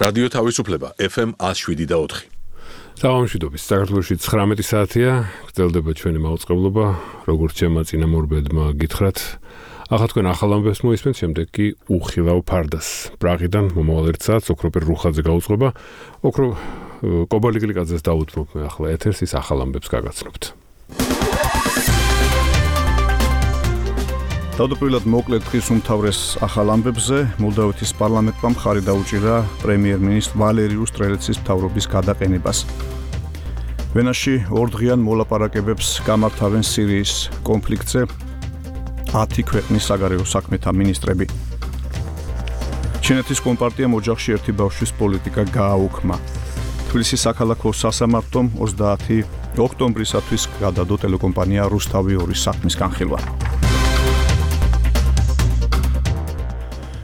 რადიო თავისუფლება FM 107.4. Საღამოშიდობის საქართველოში 19 საათია, გრძელდება ჩვენი მაუწყებლობა, როგორც ჩემმა წინამორბედმა გითხრათ. ახლა თქვენ ახალ ამბებს მოისმენთ, შემდეგ კი უხილავ ფარდას. პრაღიდან მომავალ ერთ საათს ოქროპერ რუხაძე გაუწყობა. ოქრო კობალიგლიკაძეს დაუთმობ მე ახლა ეთერს, ის ახალ ამბებს გაგაცნობთ. თავდაპირველად მოკლედ დღის უმთავრეს ახალ ამბებზე მოლდავეთის პარლამენტმა მხარი დაუჭირა პრემიერ-მინისტრ ვალერი უსტრელეცის მთავრობის გადაყენებას. ვენაში ორდღიან მოლაპარაკებებს გამართავენ სირიის კონფლიქტზე 10 ქვეყნის საგარეო საქმეთა მინისტრები. ჩინეთის კომპარტიამ ოჯახში ერთი ბავშვის პოლიტიკა გააუქმა. თბილისის საქალაქო სასამართლომ 30 ოქტომბრისათვის გადადო ტელეკომპანია რუსთავი 2-ის საქმის განხილვა.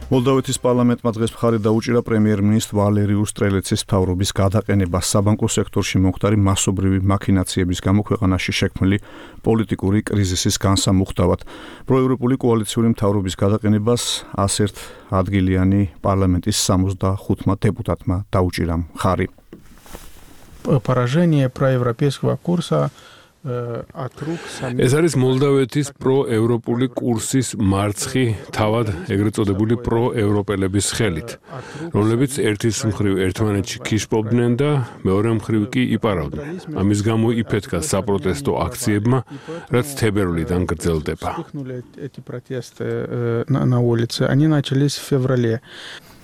მოლდავეთის პარლამენტმა დღეს მხარი დაუჭირა პრემიერ-მინისტრ ვალერი უსტრელეცის მთავრობის გადაყენებას საბანკო სექტორში მომხდარი მასობრივი მაქინაციების გამო ქვეყანაში შექმნილი პოლიტიკური კრიზისის განსამუხტავად. პროევროპული კოალიციური მთავრობის გადაყენებას 101 ადგილიანი პარლამენტის 65 დეპუტატმა დაუჭირა მხარი. Поражение проевропейского курса ეს არის მოლდავეთის პროევროპული კურსის მარცხი თავად ეგრეთ წოდებული პროევროპელების ხელით, რომლებიც ერთის მხრივ ერთმანეთში ქიშპობდნენ და მეორე მხრივ კი იპარავდნენ. ამის გამო იფეთქა საპროტესტო აქციებმა, რაც თებერვლიდან გრძელდება.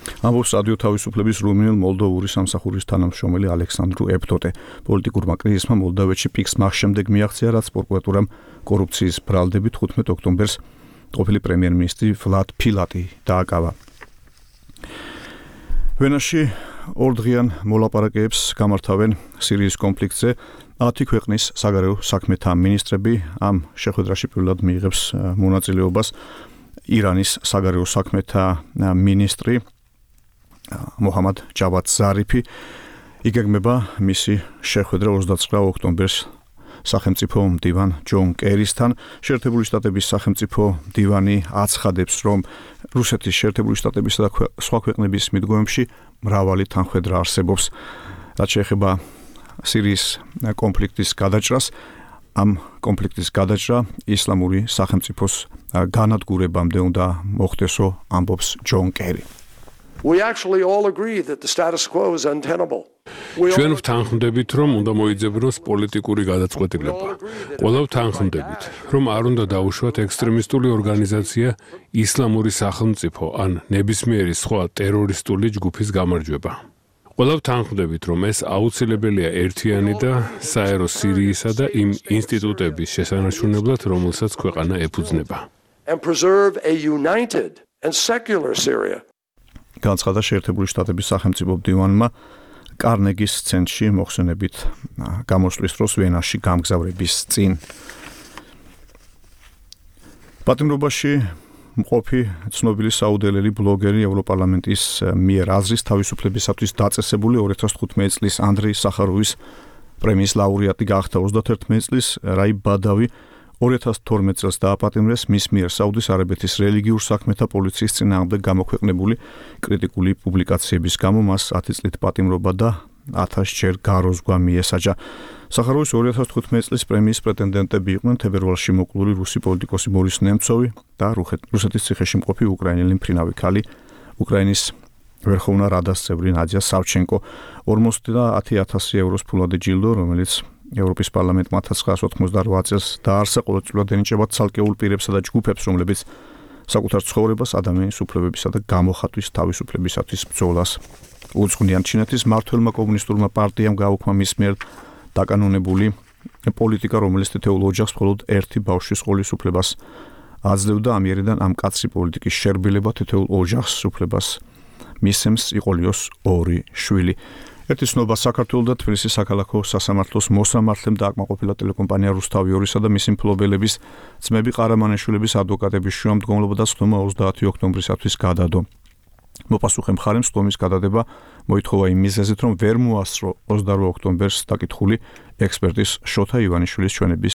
ამბობს რადიო თავისუფლების რუმინელ მოლდოვური სამსახურის თანამშრომელი ალექსანდრუ ეფტოტე. პოლიტიკურმა კრიზისმა მოლდავეთში პიკს მას შემდეგ მიაღწია, რაც პროკურატურამ კორუფციის ბრალდებით 15 ოქტომბერს ყოფილი პრემიერ-მინისტრი ვლად ფილატი დააკავა. ვენაში ორდღიან მოლაპარაკებებს გამართავენ სირიის კონფლიქტზე 10 ქვეყნის საგარეო საქმეთა მინისტრები. ამ შეხვედრაში პირველად მიიღებს მონაწილეობას ირანის საგარეო საქმეთა მინისტრი მოჰამად ჯავად ზარიფი. იგეგმება მისი შეხვედრა 29 ოქტომბერს სახელმწიფო მდივან ჯონ კერისთან. შეერთებული შტატების სახელმწიფო მდივანი აცხადებს, რომ რუსეთის, შეერთებული შტატებისა და სხვა ქვეყნების მიდგომებში მრავალი თანხმედრა არსებობს. რაც შეეხება სირიის კონფლიქტის გადაჭრას, ამ კონფლიქტის გადაჭრა ისლამური სახელმწიფოს განადგურებამდე უნდა მოხდესო, ამბობს ჯონ კერი. We actually all agree that the status quo is untenable. ჩვენ ვთანხმდებით, რომ უნდა მოიძებნოს პოლიტიკური გადაწყვეტილება. ყველა ვთანხმდებით, რომ არ უნდა დაუშვათ ექსტრემისტული ორგანიზაცია ისლამური სახელმწიფო ან ნებისმიერი სხვა ტერორისტული ჯგუფის გამარჯვება. ყველა ვთანხმდებით, რომ ეს აუცილებელია ერთიანი და საერო სირიისა და იმ ინსტიტუტების შესანარჩუნებლად, რომელსაც ქვეყანა ეფუძნება. And preserve a united and secular Syria. განცხადა შეერთებული შტატების სახელმწიფო მდივანმა კარნეგის ცენტრში მოხსენებით გამოსვლის დროს ვენაში გამგზავრების წინ. პატიმრობაში მყოფი ცნობილი საუდელელი ბლოგერი ევროპარლამენტის მიერ აზრის თავისუფლებისათვის დაწესებული 2015 წლის ანდრეი სახაროვის პრემიის ლაურეატი გახდა. 31 წლის რაი ბადავი 2012 წელს დააპატიმრეს მის მიერ საუდის არაბეთის რელიგიურ საქმეთა პოლიციის წინააღმდეგ გამოქვეყნებული კრიტიკული პუბლიკაციების გამო მას 10 წლით პატიმრობა და 1000 ჯერ გაროზღვა მიესაჯა. სახაროვის 2015 წლის პრემიის პრეტენდენტები იყვნენ თებერვალში მოკლული რუსი პოლიტიკოსი ბორის ნემცოვი და რუსეთის ციხეში მყოფი უკრაინელი მფრინავი ქალი, უკრაინის ვერხოვნა რადას წევრი ნადია სავჩენკო. 50,000 ევროს ფულადი ჯილდო, რომელიც ევროპის პარლამენტმა 1988 წელს დაარსა, ყოველწლიურად ენიჭება ცალკეულ პირებსა და ჯგუფებს, რომლებიც საკუთარ ცხოვრებას ადამიანის უფლებებისა და გამოხატვის თავისუფლებისათვის ბრძოლას უძღვნიან. ჩინეთის მმართველმა კომუნისტურმა პარტიამ გააუქმა მის მიერ დაკანონებული პოლიტიკა, რომელიც თითოეულ ოჯახს მხოლოდ ერთი ბავშვის ყოლის უფლებას აძლევდა. ამიერიდან ამ კაცრი პოლიტიკის შერბილება თითოეულ ოჯახს უფლებას მისცემს იყოლიოს 2 შვილი. ერთი ცნობა საქართველოს და თბილისის საქალაქო სასამართლოს მოსამართლემ დააკმაყოფილა ტელეკომპანია რუსთავი 2-ისა და მისი მფლობელების ძმები ყარამანიშვილების ადვოკატების შუამდგომლობა და ცნობა 30 ოქტომბრისათვის გადადო. მოპასუხე მხარემ ცნობის გადადება მოითხოვა იმ მიზეზით, რომ ვერ მოასწრო 28 ოქტომბერს დაკითხული ექსპერტის შოთა ივანიშვილის ჩვენების